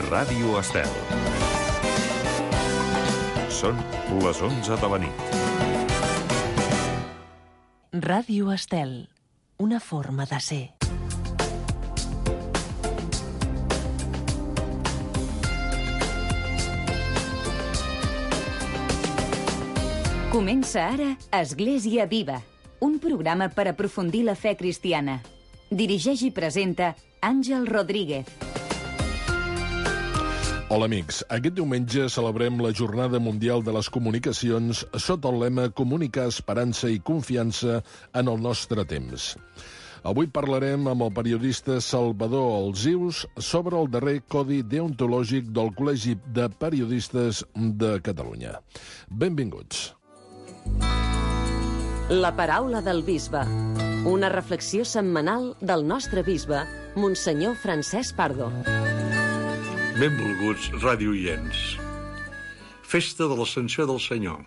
Ràdio Estel. Són les 11 de la nit. Ràdio Estel, una forma de ser. Comença ara Església Viva, un programa per aprofundir la fe cristiana. Dirigeix i presenta Àngel Rodríguez. Hola amics, aquest diumenge celebrem la Jornada Mundial de les Comunicacions sota el lema Comunicar esperança i confiança en el nostre temps. Avui parlarem amb el periodista Salvador Alzius sobre el darrer codi deontològic del Col·legi de Periodistes de Catalunya. Benvinguts. La paraula del bisbe. Una reflexió setmanal del nostre bisbe, Monsenyor Francesc Pardo. Benvolguts radioients. Festa de l'Ascensió del Senyor.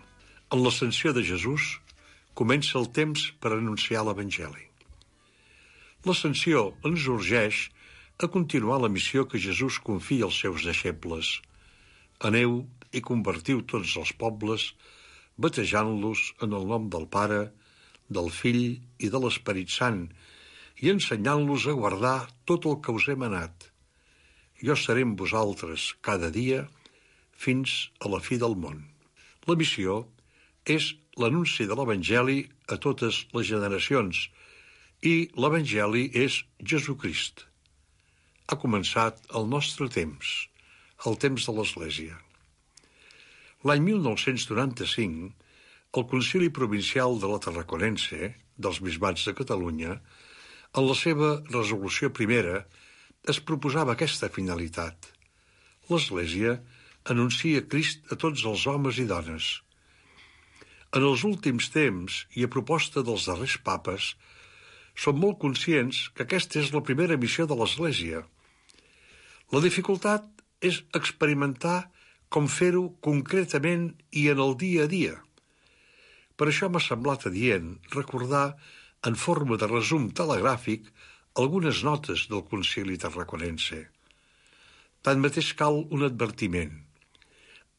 En l'Ascensió de Jesús comença el temps per anunciar l'Evangeli. L'Ascensió ens urgeix a continuar la missió que Jesús confia als seus deixebles. Aneu i convertiu tots els pobles, batejant-los en el nom del Pare, del Fill i de l'Esperit Sant, i ensenyant-los a guardar tot el que us he manat. Jo seré amb vosaltres cada dia fins a la fi del món. La missió és l'anunci de l'Evangeli a totes les generacions, i l'Evangeli és Jesucrist. Ha començat el nostre temps, el temps de l'Església. L'any 1995, el Concili Provincial de la Tarraconense, dels Bisbats de Catalunya, en la seva resolució primera, es proposava aquesta finalitat. L'Església anuncia Crist a tots els homes i dones. En els últims temps, i a proposta dels darrers papes, som molt conscients que aquesta és la primera missió de l'Església. La dificultat és experimentar com fer-ho concretament i en el dia a dia. Per això m'ha semblat adient recordar, en forma de resum telegràfic, algunes notes del Concili Tarraconense. Tanmateix cal un advertiment.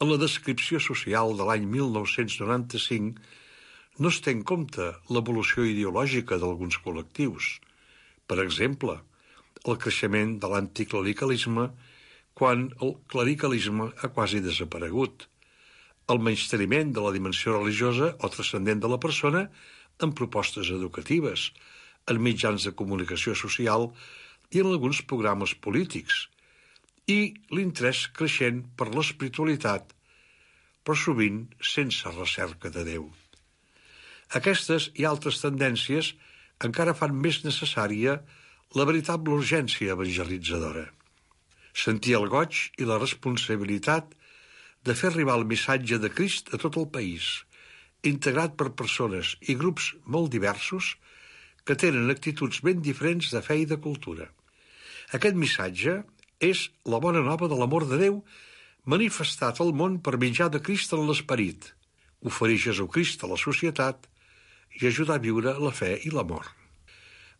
En la descripció social de l'any 1995 no es té en compte l'evolució ideològica d'alguns col·lectius. Per exemple, el creixement de l'anticlericalisme quan el clericalisme ha quasi desaparegut, el menysteniment de la dimensió religiosa o transcendent de la persona en propostes educatives, en mitjans de comunicació social i en alguns programes polítics, i l'interès creixent per l'espiritualitat, però sovint sense recerca de Déu. Aquestes i altres tendències encara fan més necessària la veritable urgència evangelitzadora. Sentir el goig i la responsabilitat de fer arribar el missatge de Crist a tot el país, integrat per persones i grups molt diversos que tenen actituds ben diferents de fe i de cultura. Aquest missatge és la bona nova de l'amor de Déu manifestat al món per mitjà de Crist en l'esperit, oferir Jesucrist a la societat i ajudar a viure la fe i l'amor.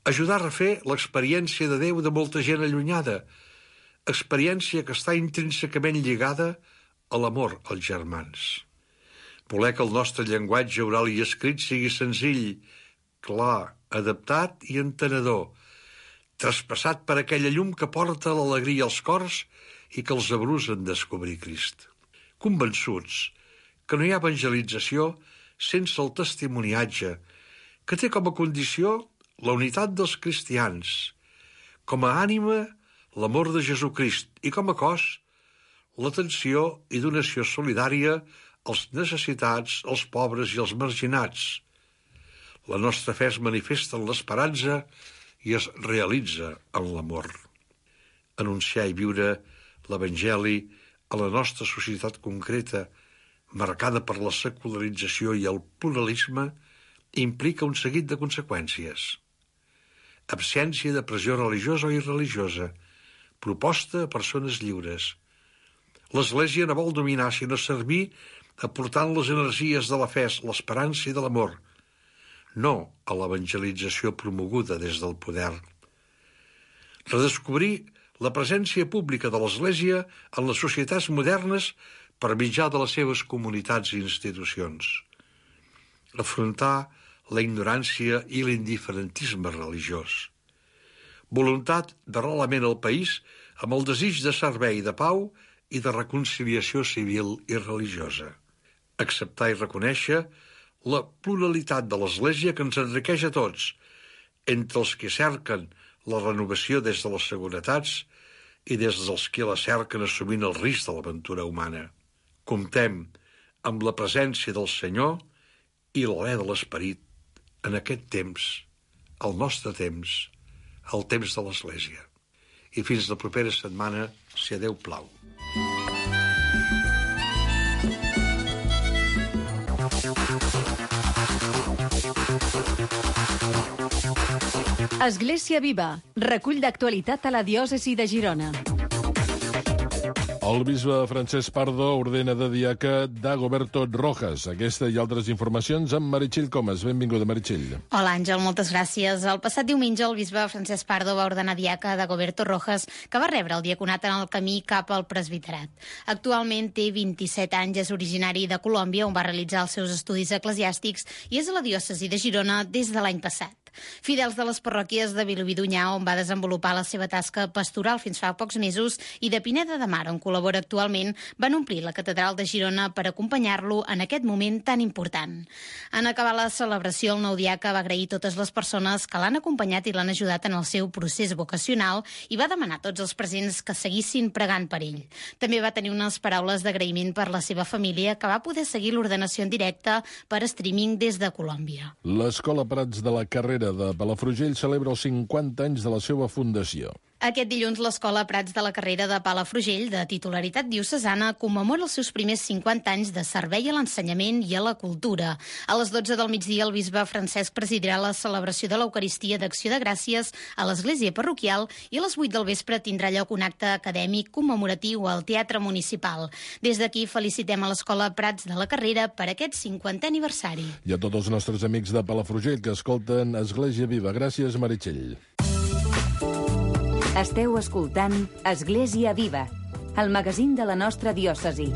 Ajudar a refer l'experiència de Déu de molta gent allunyada, experiència que està intrínsecament lligada a l'amor als germans. Voler que el nostre llenguatge oral i escrit sigui senzill, clar, adaptat i entenedor, traspassat per aquella llum que porta l'alegria als cors i que els abrusa en descobrir Crist. Convençuts que no hi ha evangelització sense el testimoniatge, que té com a condició la unitat dels cristians, com a ànima l'amor de Jesucrist i com a cos l'atenció i donació solidària als necessitats, als pobres i als marginats. La nostra fe es manifesta en l'esperança i es realitza en l'amor. Anunciar i viure l'Evangeli a la nostra societat concreta, marcada per la secularització i el pluralisme, implica un seguit de conseqüències. Absència de pressió religiosa o irreligiosa, proposta a persones lliures. L'Església no vol dominar, sinó servir aportant les energies de la fe, l'esperança i de l'amor, no a l'evangelització promoguda des del poder. Redescobrir la presència pública de l'Església en les societats modernes per mitjà de les seves comunitats i institucions. Afrontar la ignorància i l'indiferentisme religiós. Voluntat d'arrelament al país amb el desig de servei de pau i de reconciliació civil i religiosa. Acceptar i reconèixer la pluralitat de l'Església que ens enriqueix a tots, entre els que cerquen la renovació des de les seguretats i des dels que la cerquen assumint el risc de l'aventura humana. Comptem amb la presència del Senyor i l'alè de l'Esperit en aquest temps, el nostre temps, el temps de l'Església. I fins la propera setmana, si a Déu plau. Església Viva, recull d'actualitat a la diòcesi de Girona. El bisbe Francesc Pardo ordena de diaca Dagoberto Rojas. Aquesta i altres informacions amb Meritxell Comas. Benvinguda, Meritxell. Hola, Àngel, moltes gràcies. El passat diumenge el bisbe Francesc Pardo va ordenar diaca Dagoberto Rojas, que va rebre el diaconat en el camí cap al presbiterat. Actualment té 27 anys, és originari de Colòmbia, on va realitzar els seus estudis eclesiàstics i és a la diòcesi de Girona des de l'any passat. Fidels de les parròquies de Vilobí d'Onyar, on va desenvolupar la seva tasca pastoral fins fa pocs mesos, i de Pineda de Mar, on col·labora actualment, van omplir la catedral de Girona per acompanyar-lo en aquest moment tan important. En acabar la celebració, el nou diaca va agrair totes les persones que l'han acompanyat i l'han ajudat en el seu procés vocacional i va demanar a tots els presents que seguissin pregant per ell. També va tenir unes paraules d'agraïment per la seva família, que va poder seguir l'ordenació en directe per streaming des de Colòmbia. L'Escola Prats de la Carrera de Palafrugell celebra els 50 anys de la seva fundació. Aquest dilluns, l'Escola Prats de la Carrera de Palafrugell, de titularitat diocesana, commemora els seus primers 50 anys de servei a l'ensenyament i a la cultura. A les 12 del migdia, el bisbe Francesc presidirà la celebració de l'Eucaristia d'Acció de Gràcies a l'església parroquial i a les 8 del vespre tindrà lloc un acte acadèmic commemoratiu al Teatre Municipal. Des d'aquí felicitem a l'Escola Prats de la Carrera per aquest 50è aniversari. I a tots els nostres amics de Palafrugell que escolten Església Viva. Gràcies, Meritxell. Esteu escoltant Església Viva, el magazín de la nostra diòcesi.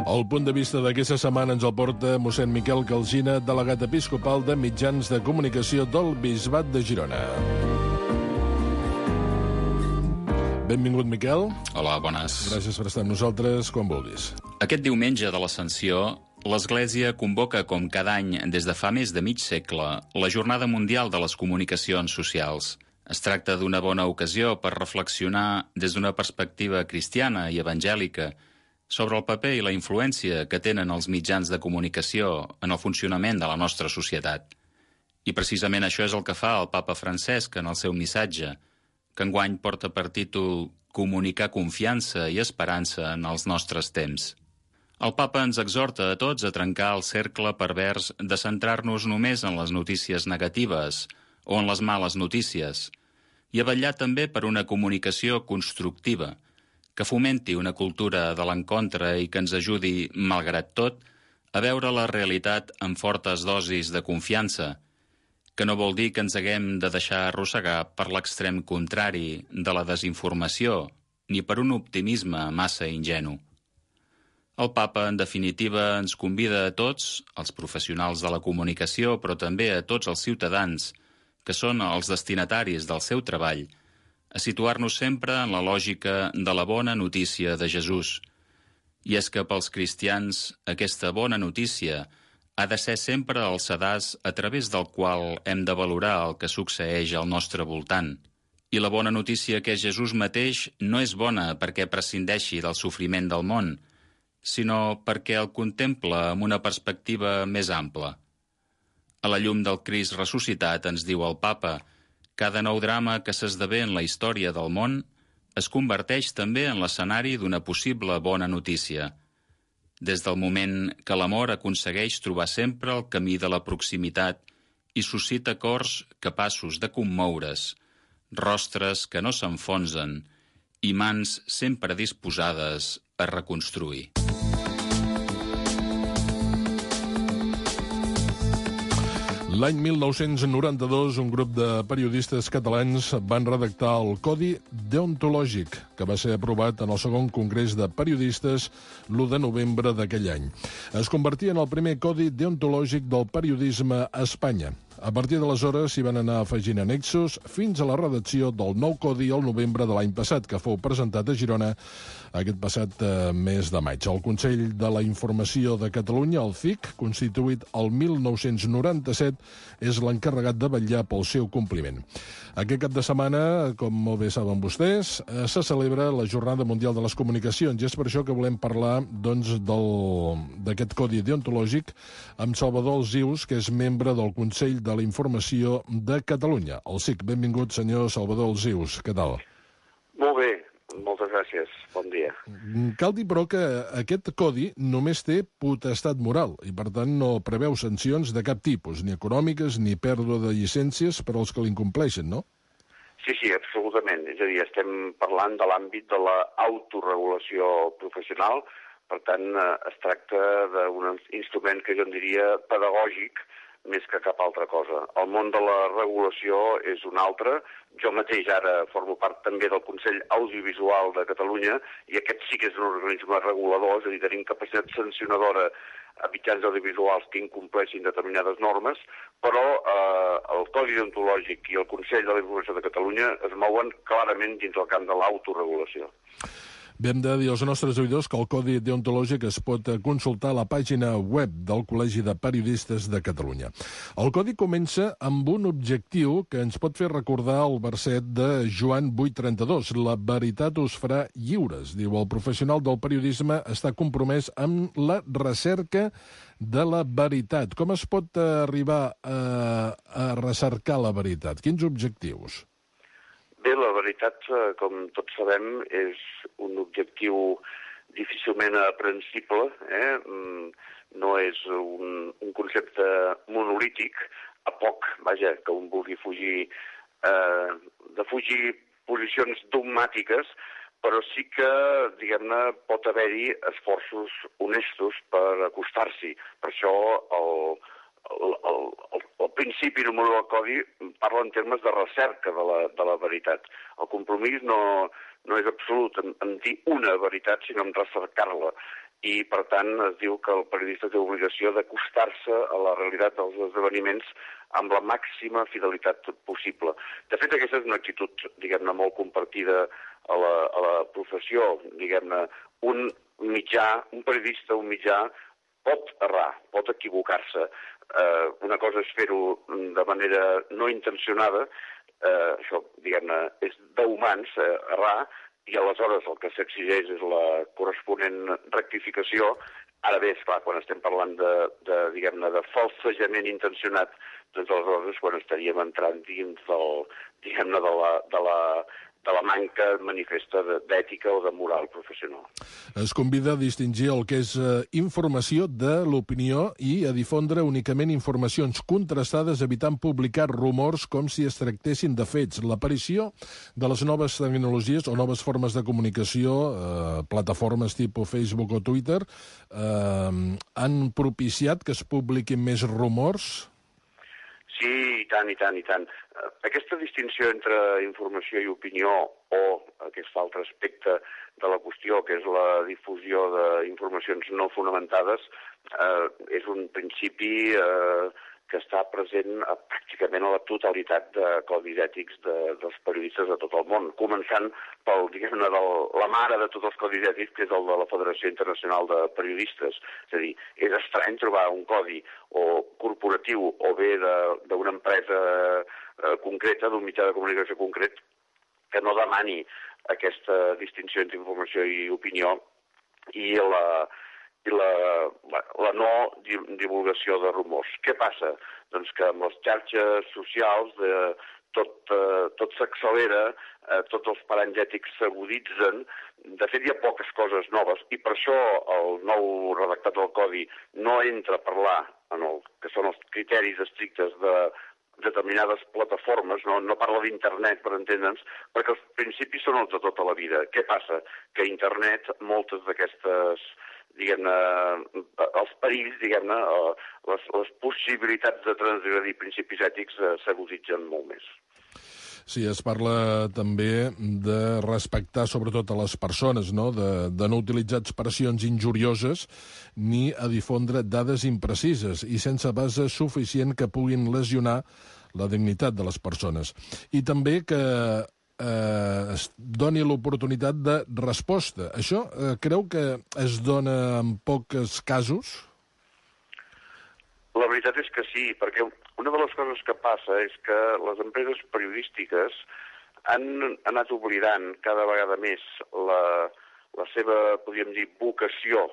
El punt de vista d'aquesta setmana ens el porta mossèn Miquel Calsina, delegat episcopal de mitjans de comunicació del Bisbat de Girona. Benvingut, Miquel. Hola, bones. Gràcies per estar amb nosaltres quan vulguis. Aquest diumenge de l'Ascensió, l'Església convoca, com cada any des de fa més de mig segle, la Jornada Mundial de les Comunicacions Socials. Es tracta d'una bona ocasió per reflexionar des d'una perspectiva cristiana i evangèlica sobre el paper i la influència que tenen els mitjans de comunicació en el funcionament de la nostra societat. I precisament això és el que fa el papa Francesc en el seu missatge, que enguany porta per títol Comunicar confiança i esperança en els nostres temps. El papa ens exhorta a tots a trencar el cercle pervers de centrar-nos només en les notícies negatives o en les males notícies i a vetllar també per una comunicació constructiva, que fomenti una cultura de l'encontre i que ens ajudi, malgrat tot, a veure la realitat amb fortes dosis de confiança, que no vol dir que ens haguem de deixar arrossegar per l'extrem contrari de la desinformació ni per un optimisme massa ingenu. El papa, en definitiva, ens convida a tots, els professionals de la comunicació, però també a tots els ciutadans, que són els destinataris del seu treball, a situar-nos sempre en la lògica de la bona notícia de Jesús. I és que pels cristians aquesta bona notícia ha de ser sempre el sedàs a través del qual hem de valorar el que succeeix al nostre voltant. I la bona notícia que és Jesús mateix no és bona perquè prescindeixi del sofriment del món, sinó perquè el contempla amb una perspectiva més ampla. A la llum del Crist ressuscitat, ens diu el papa, cada nou drama que s'esdevé en la història del món es converteix també en l'escenari d'una possible bona notícia. Des del moment que l'amor aconsegueix trobar sempre el camí de la proximitat i suscita cors capaços de commoure's, rostres que no s'enfonsen i mans sempre disposades a reconstruir. L'any 1992, un grup de periodistes catalans van redactar el Codi Deontològic, que va ser aprovat en el segon Congrés de Periodistes l'1 de novembre d'aquell any. Es convertia en el primer Codi Deontològic del periodisme a Espanya. A partir d'aleshores s'hi van anar afegint annexos fins a la redacció del nou codi al novembre de l'any passat, que fou presentat a Girona aquest passat mes de maig. El Consell de la Informació de Catalunya, el CIC, constituït el 1997, és l'encarregat de vetllar pel seu compliment. Aquest cap de setmana, com molt bé saben vostès, se celebra la Jornada Mundial de les Comunicacions i és per això que volem parlar d'aquest codi deontològic amb Salvador Alsius, que és membre del Consell de la Informació de Catalunya. El CIC, benvingut, senyor Salvador Alsius. Què tal? Molt bé, moltes gràcies. Bon dia. Cal dir, però, que aquest codi només té potestat moral i, per tant, no preveu sancions de cap tipus, ni econòmiques ni pèrdua de llicències per als que l'incompleixen, no? Sí, absolutament. És a dir, estem parlant de l'àmbit de l'autoregulació professional. Per tant, es tracta d'un instrument que jo en diria pedagògic, més que cap altra cosa. El món de la regulació és un altre. Jo mateix ara formo part també del Consell Audiovisual de Catalunya i aquest sí que és un organisme regulador, és a dir, tenim capacitat sancionadora a mitjans audiovisuals que incompleixin determinades normes, però el Codi Deontològic i el Consell de la Informació de Catalunya es mouen clarament dins el camp de l'autoregulació. Bé, hem de dir als nostres oïdors que el Codi Deontològic es pot consultar a la pàgina web del Col·legi de Periodistes de Catalunya. El Codi comença amb un objectiu que ens pot fer recordar el verset de Joan 8:32. La veritat us farà lliures. Diu, el professional del periodisme està compromès amb la recerca de la veritat. Com es pot arribar a recercar la veritat? Quins objectius? Bé, la veritat, com tots sabem, és un objectiu difícilment aprensible, no és un concepte monolític, a poc, vaja, que un vulgui fugir posicions dogmàtiques, però sí que, diguem-ne, pot haver-hi esforços honestos per acostar-s'hi. Per això el principi número del codi parla en termes de recerca de la veritat. El compromís no és absolut en dir una veritat, sinó en recercar-la. I, per tant, es diu que el periodista té obligació d'acostar-se a la realitat dels esdeveniments amb la màxima fidelitat possible. De fet, aquesta és una actitud, diguem-ne, molt compartida a la professió. Diguem-ne, un periodista, un mitjà, pot errar, pot equivocar-se. Una cosa és fer-ho de manera no intencionada, això, diguem-ne, és d'humans, errar, i aleshores el que s'exigeix és la corresponent rectificació. Ara bé, esclar, quan estem parlant diguem-ne, de falsejament intencionat, doncs aleshores quan estaríem entrant dins diguem-ne, de la manca manifesta d'ètica o de moral professional. Es convida a distingir el que és informació de l'opinió i a difondre únicament informacions contrastades, evitant publicar rumors com si es tractessin de fets. L'aparició de les noves tecnologies o noves formes de comunicació, plataformes tipus Facebook o Twitter, han propiciat que es publiquin més rumors? Sí, i tant. Aquesta distinció entre informació i opinió o aquest altre aspecte de la qüestió, que és la difusió d'informacions no fonamentades, és un principi que està present pràcticament a la totalitat de codis ètics dels periodistes de tot el món, començant pel, diguem-ne, la mare de tots els codis ètics, que és el de la Federació Internacional de Periodistes. És a dir, és estrany trobar un codi o corporatiu o bé d'una empresa concreta, d'un mitjà de comunicació concret, que no demani aquesta distinció entre informació i opinió i la no divulgació de rumors. Què passa? Doncs que amb les xarxes socials tot s'accelera, tots els paranys ètics s'aguditzen. De fet, hi ha poques coses noves i per això el nou redactat del Codi no entra a parlar en el que són els criteris estrictes de determinades plataformes, no parla d'internet, per entendre'ns, perquè els principis són els de tota la vida. Què passa? Que a internet moltes d'aquestes, diguem-ne, els perills, diguem-ne, les possibilitats de transgredir principis ètics s'aguditzen molt més. Sí, es parla també de respectar sobretot a les persones, no? De no utilitzar expressions injurioses ni a difondre dades imprecises i sense base suficient que puguin lesionar la dignitat de les persones. I també que es doni l'oportunitat de resposta. Això creu que es dona en pocs casos? La veritat és que sí, perquè una de les coses que passa és que les empreses periodístiques han anat oblidant cada vegada més la seva, podríem dir, vocació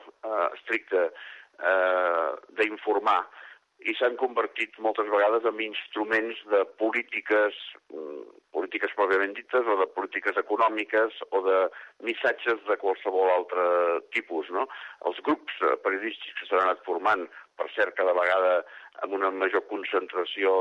estricta d'informar i s'han convertit moltes vegades en instruments de polítiques pròpiament dites o de polítiques econòmiques o de missatges de qualsevol altre tipus, no? Els grups periodístics que s'han anat formant, per cert, cada vegada amb una major concentració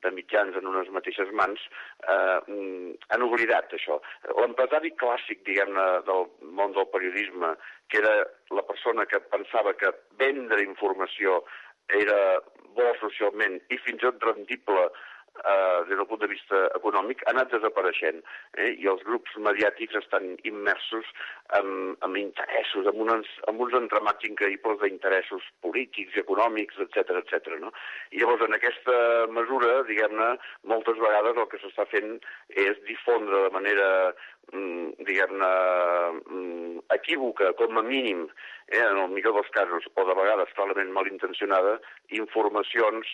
de mitjans en unes mateixes mans, han oblidat això. L'empresari clàssic, diguem-ne, del món del periodisme, que era la persona que pensava que vendre informació era bo socialment i fins i tot rendible des del punt de vista econòmic, ha anat desapareixent. I els grups mediàtics estan immersos en interessos, en uns entramats increïbles d'interessos polítics, econòmics, etc. No? I llavors, en aquesta mesura, diguem-ne, moltes vegades el que s'està fent és difondre de manera, diguem-ne, equívoca, com a mínim, en el millor dels casos, o de vegades clarament malintencionada, informacions,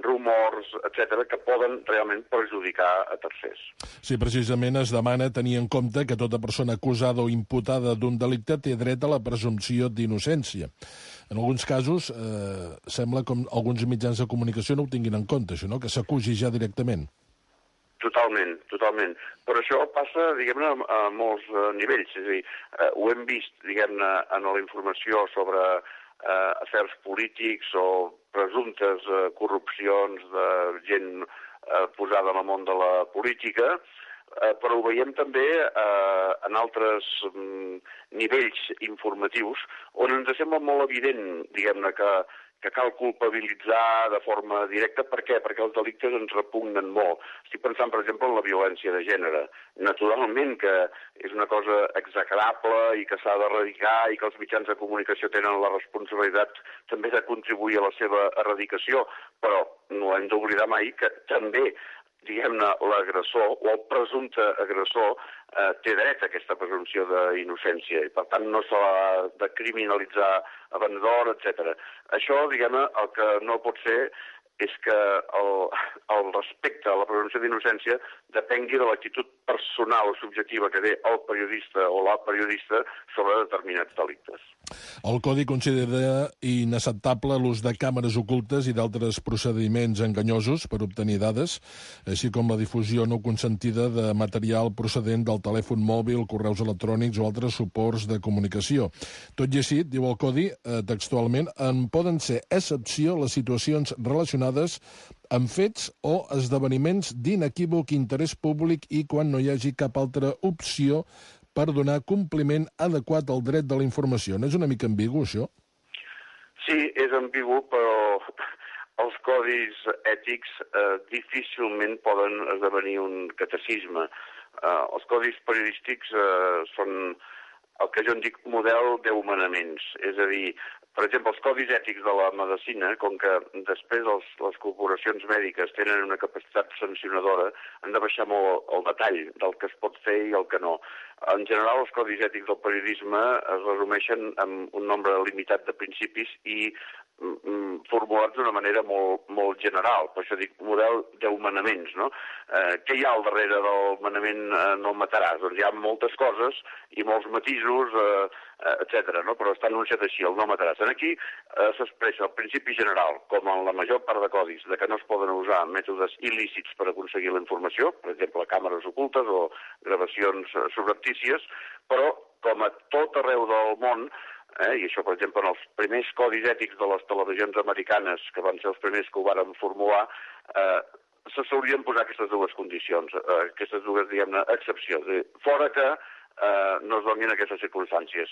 rumors, etc., que poden realment perjudicar a tercers. Sí, precisament es demana tenir en compte que tota persona acusada o imputada d'un delicte té dret a la presumpció d'innocència. En alguns casos, sembla com alguns mitjans de comunicació no ho tinguin en compte, això, no? Que s'acusi ja directament. Totalment. Però això passa, diguem-ne, a molts nivells. És a dir, ho hem vist, diguem-ne, en la informació sobre afers polítics o presumptes corrupcions de gent posada en el món de la política, però ho veiem també en altres nivells informatius on ens sembla molt evident, diguem-ne, que cal culpabilitzar de forma directa. Per què? Perquè els delictes ens repugnen molt. Estic pensant, per exemple, en la violència de gènere. Naturalment que és una cosa execrable i que s'ha d'erradicar i que els mitjans de comunicació tenen la responsabilitat també de contribuir a la seva erradicació, però no hem d'oblidar mai que també, diguem-ne, l'agressor o el presumpte agressor té dret a aquesta presumpció d'innocència i, per tant, no s'ha de criminalitzar abans d'hora, etc. Això, diguem-ne, el que no pot ser és que el respecte a la presumpció d'innocència depengui de l'actitud personal o subjectiva que té el periodista o la periodista sobre determinats delictes. El Codi considera inacceptable l'ús de càmeres ocultes i d'altres procediments enganyosos per obtenir dades, així com la difusió no consentida de material procedent del telèfon mòbil, correus electrònics o altres suports de comunicació. Tot i així, diu el Codi, textualment, en poden ser excepció les situacions relacionades amb fets o esdeveniments d'inequívoc interès públic i quan no hi hagi cap altra opció per donar compliment adequat al dret de la informació. No és una mica ambigu, això? Sí, és ambigu, però els codis ètics difícilment poden esdevenir un catecisme. Els codis periodístics són el que jo en dic model d'humanaments, és a dir, per exemple, els codis ètics de la medicina, com que després les corporacions mèdiques tenen una capacitat sancionadora, han de baixar molt el detall del que es pot fer i el que no. En general, els codis ètics del periodisme es resumeixen en un nombre limitat de principis i formulats d'una manera molt general. Per això dic model d'humanaments, no? Què hi ha al darrere del manament no mataràs? Doncs hi ha moltes coses i molts matisos, etc. No? Però està anunciat així, el no mataràs. Aquí s'expressa el principi general, com en la major part de codis, de que no es poden usar mètodes il·lícits per aconseguir la informació, per exemple, càmeres ocultes o gravacions subreptícies, però com a tot arreu del món, I això, per exemple, en els primers codis ètics de les televisions americanes, que van ser els primers que ho varen formular, se s'haurien posar aquestes dues condicions, aquestes dues, diguem-ne, excepcions. Fora que no es donin aquestes circumstàncies.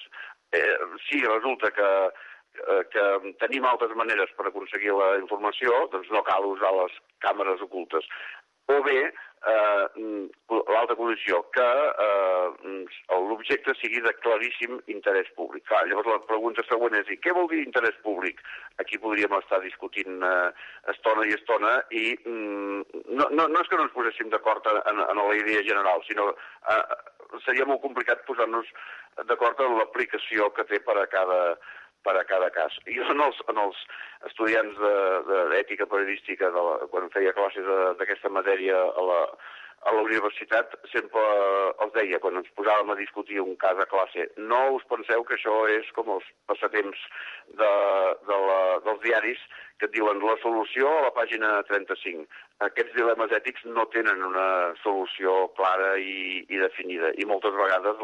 Si resulta que tenim altres maneres per aconseguir la informació, doncs no cal usar les càmeres ocultes. O bé, l'altra condició, que l'objecte sigui de claríssim interès públic. Clar, llavors la pregunta següent és, què vol dir interès públic? Aquí podríem estar discutint estona i estona i no és que no ens poséssim d'acord en la idea general, sinó seria molt complicat posar-nos d'acord en l'aplicació que té per a cada cas. Jo en els estudiants d'ètica periodística, quan feia classes d'aquesta matèria a la universitat, sempre els deia, quan ens posàvem a discutir un cas a classe, no us penseu que això és com els passatemps dels diaris que et diuen la solució a la pàgina 35. Aquests dilemes ètics no tenen una solució clara i definida, i moltes vegades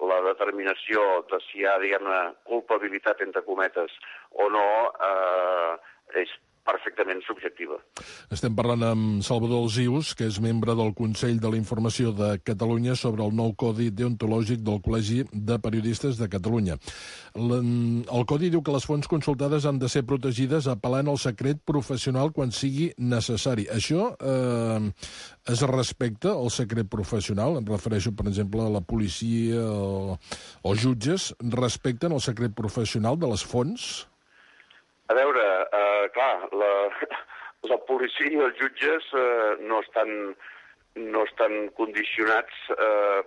la determinació de si hi ha, diguem-ne, culpabilitat, entre cometes, o no, és perfectament subjectiva. Estem parlant amb Salvador Alsius, que és membre del Consell de la Informació de Catalunya, sobre el nou Codi Deontològic del Col·legi de Periodistes de Catalunya. El Codi diu que les fonts consultades han de ser protegides apel·lant al secret professional quan sigui necessari. Això es respecta al secret professional? Em refereixo, per exemple, a la policia o jutges respecten el secret professional de les fonts? A veure, clar, la policia i els jutges no estan condicionats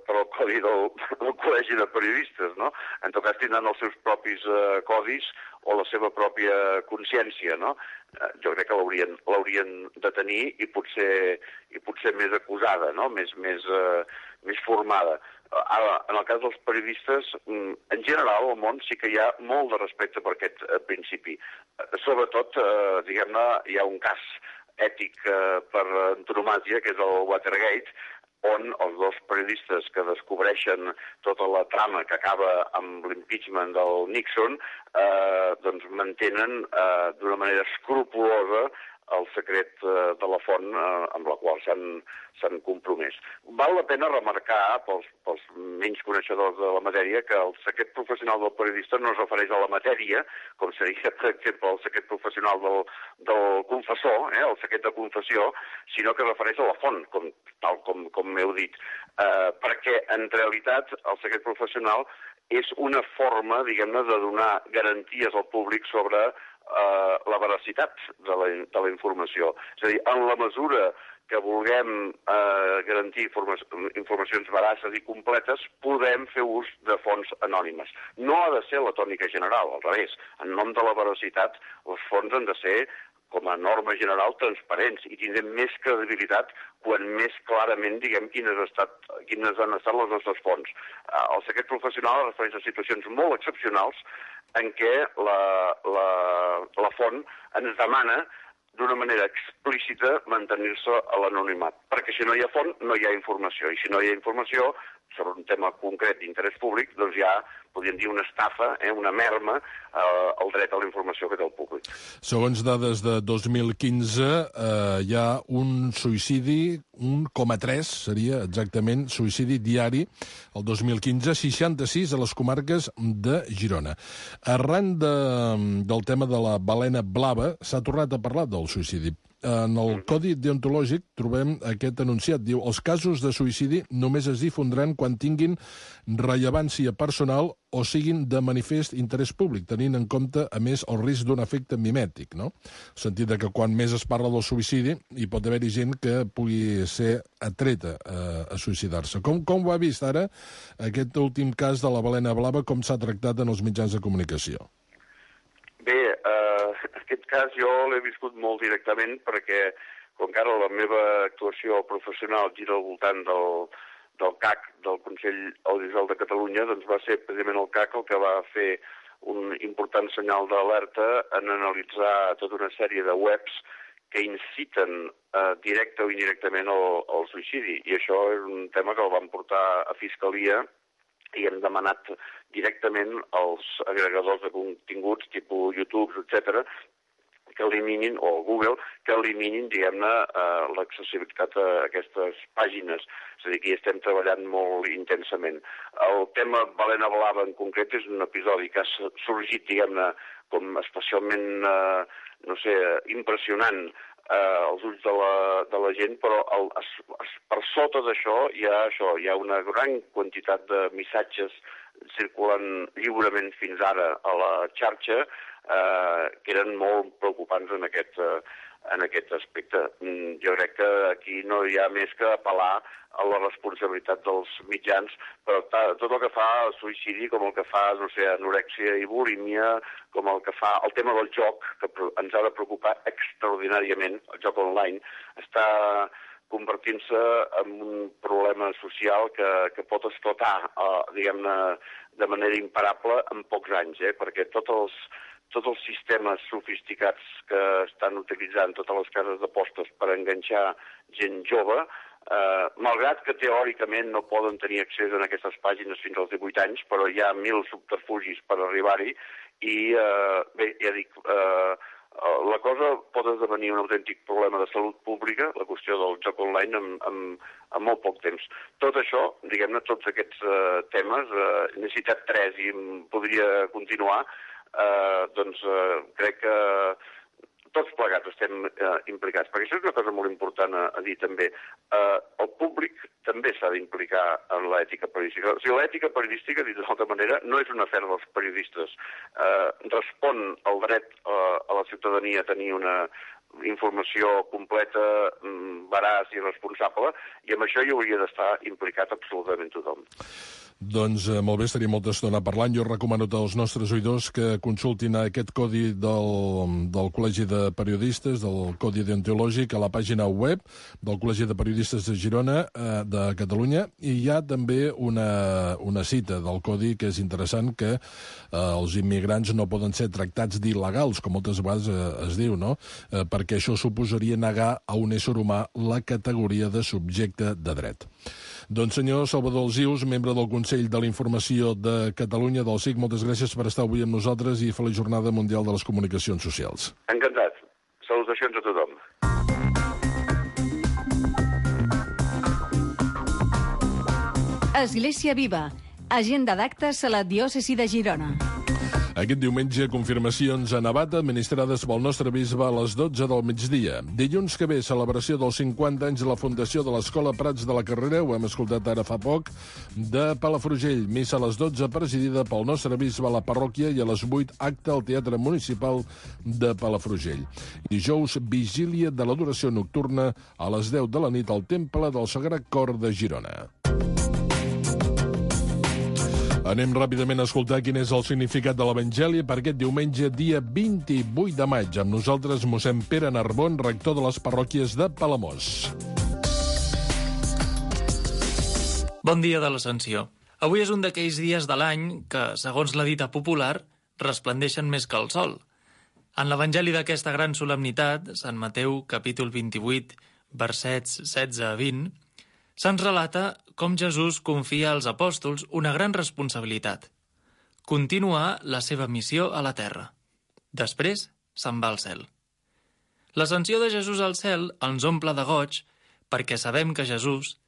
per el codi del Col·legi de Periodistes, no? En tot cas tindran els seus propis codis o la seva pròpia consciència, no? Jo crec que l'haurien de tenir i potser més acusada, no? Més formada. Ara, en el cas dels periodistes, en general, al món sí que hi ha molt de respecte per aquest principi. Sobretot, diguem-ne, hi ha un cas ètic per antonomàsia, que és el Watergate, on els dos periodistes que descobreixen tota la trama que acaba amb l'impeachment del Nixon, doncs mantenen d'una manera escrupulosa el secret de la font amb la qual s'han compromès. Val la pena remarcar, pels menys coneixedors de la matèria, que el secret professional del periodista no es refereix a la matèria, com seria, per exemple, el secret professional del confessor, el secret de confessió, sinó que es refereix a la font, tal com m'heu dit. Perquè, en realitat, el secret professional és una forma, diguem-ne, de donar garanties al públic sobre la veracitat de la informació. És a dir, en la mesura que vulguem garantir informacions veraces i completes, podem fer ús de fonts anònimes. No ha de ser la tònica general, al revés. En nom de la veracitat, les fonts han de ser, com a norma general, transparents i tindrem més credibilitat quan més clarament diguem quines han estat les nostres fonts. El secret professional es refereix a situacions molt excepcionals en què la font ens demana d'una manera explícita mantenir-se a l'anonimat, perquè si no hi ha font no hi ha informació, i si no hi ha informació sobre un tema concret d'interès públic, doncs ja podríem dir una estafa, una merma al dret a la informació que té el públic. Segons dades de 2015, hi ha un suïcidi, 1,3 seria exactament suïcidi diari, el 2015, 66 a les comarques de Girona. Arran del tema de la balena blava, s'ha tornat a parlar del suïcidi. En el Codi Deontològic trobem aquest enunciat. Diu, els casos de suïcidi només es difondran quan tinguin rellevància personal o siguin de manifest interès públic, tenint en compte, a més, el risc d'un efecte mimètic, no? En el sentit que quan més es parla del suïcidi hi pot haver-hi gent que pugui ser atreta a suïcidar-se. Com ho ha vist ara aquest últim cas de la balena blava, com s'ha tractat en els mitjans de comunicació? Bé, aquest cas jo l'he viscut molt directament perquè, com que ara la meva actuació professional gira al voltant del CAC, del Consell Audiovisual de Catalunya, doncs va ser precisament el CAC el que va fer un important senyal d'alerta en analitzar tota una sèrie de webs que inciten directe o indirectament al suïcidi. I això és un tema que el van portar a Fiscalia i hem demanat directament als agregadors de continguts, tipus YouTube, etc., que eliminin, o Google, que eliminin, diguem-ne, l'accessibilitat a aquestes pàgines. És a dir, que hi estem treballant molt intensament. El tema Balena Blava en concret és un episodi que ha sorgit, diguem-ne, com especialment, impressionant als ulls de la gent, però per sota d'això hi ha una gran quantitat de missatges circulant lliurement fins ara a la xarxa que eren molt preocupants en aquest aspecte. Jo crec que aquí no hi ha més que apel·lar a la responsabilitat dels mitjans, però tot el que fa suïcidi, com el que fa, anorèxia i bulímia, com el que fa el tema del joc, que ens ha de preocupar extraordinàriament, el joc online, està convertint-se en un problema social que pot esclatar, diguem-ne, de manera imparable en pocs anys, perquè tots els sistemes sofisticats que estan utilitzant totes les cases d'apostes per enganxar gent jove, malgrat que teòricament no poden tenir accés a aquestes pàgines fins als 18 anys, però hi ha 1.000 subterfugis per arribar-hi i, bé, ja dic, la cosa pot esdevenir un autèntic problema de salut pública, la qüestió del joc online, en molt poc temps. Tot això, diguem-ne, tots aquests temes, n'he citat 3 i podria continuar, doncs crec que tots plegats estem implicats, perquè això és una cosa molt important a dir també. El públic també s'ha d'implicar en l'ètica periodística. O sigui, l'ètica periodística, dit d'altra manera, no és una afer dels periodistes. Respon al dret a la ciutadania a tenir una informació completa, veraç i responsable, i amb això hi hauria d'estar implicat absolutament tothom. Doncs molt bé, estaria molta estona parlant. Jo recomano als nostres oïdors que consultin aquest codi del Col·legi de Periodistes, del Codi Deontològic, a la pàgina web del Col·legi de Periodistes de Girona, de Catalunya, i hi ha també una cita del Codi que és interessant, que els immigrants no poden ser tractats d'il·legals, com moltes vegades es diu, no? Perquè això suposaria negar a un ésser humà la categoria de subjecte de dret. Doncs senyor Salvador Alsius, membre del Consell de la Informació de Catalunya, del SIC, moltes gràcies per estar avui amb nosaltres i feliç Jornada Mundial de les Comunicacions Socials. Encantat. Salutacions a tothom. Església Viva. Agenda d'actes a la diòcesi de Girona. Aquest diumenge, confirmacions a Navata administrades pel nostre bisbe a les 12 del migdia. Dilluns que ve, celebració dels 50 anys de la fundació de l'Escola Prats de la Carrera, ho hem escoltat ara fa poc, de Palafrugell. Missa a les 12, presidida pel nostre bisbe a la parròquia, i a les 8, acte al Teatre Municipal de Palafrugell. Dijous, vigília de l'adoració nocturna a les 10 de la nit al Temple del Sagrat Cor de Girona. Anem ràpidament a escoltar quin és el significat de l'Evangeli per aquest diumenge, dia 28 de maig. Amb nosaltres, mossèn Pere Narbon, rector de les parròquies de Palamós. Bon dia de l'Ascensió. Avui és un d'aquells dies de l'any que, segons la dita popular, resplendeixen més que el sol. En l'Evangeli d'aquesta gran solemnitat, Sant Mateu, capítol 28, versets 16 a 20, se'ns relata com Jesús confia als apòstols una gran responsabilitat: continuar la seva missió a la terra. Després se'n va al cel. L'ascensió de Jesús al cel ens omple de goig perquè sabem que Jesús,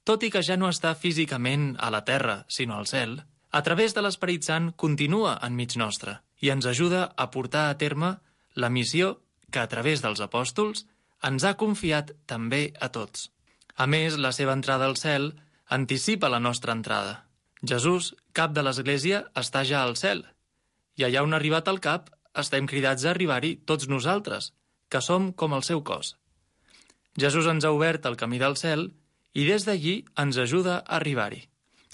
tot i que ja no està físicament a la terra, sinó al cel, a través de l'Esperit Sant continua enmig nostre i ens ajuda a portar a terme la missió que, a través dels apòstols, ens ha confiat també a tots. A més, la seva entrada al cel anticipa la nostra entrada. Jesús, cap de l'Església, està ja al cel. I allà on ha arribat al cap, estem cridats a arribar-hi tots nosaltres, que som com el seu cos. Jesús ens ha obert el camí del cel i des d'allí ens ajuda a arribar-hi.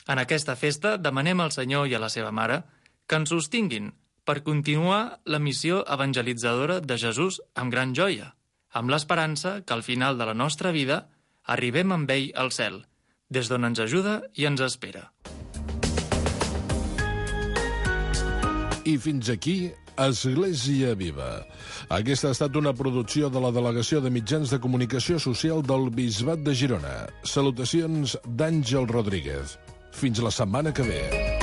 En aquesta festa demanem al Senyor i a la seva mare que ens sostinguin per continuar la missió evangelitzadora de Jesús amb gran joia, amb l'esperança que al final de la nostra vida arribem amb ell al cel, des d'on ens ajuda i ens espera. I fins aquí, Església Viva. Aquesta ha estat una producció de la Delegació de Mitjans de Comunicació Social del Bisbat de Girona. Salutacions d'Àngel Rodríguez. Fins la setmana que ve.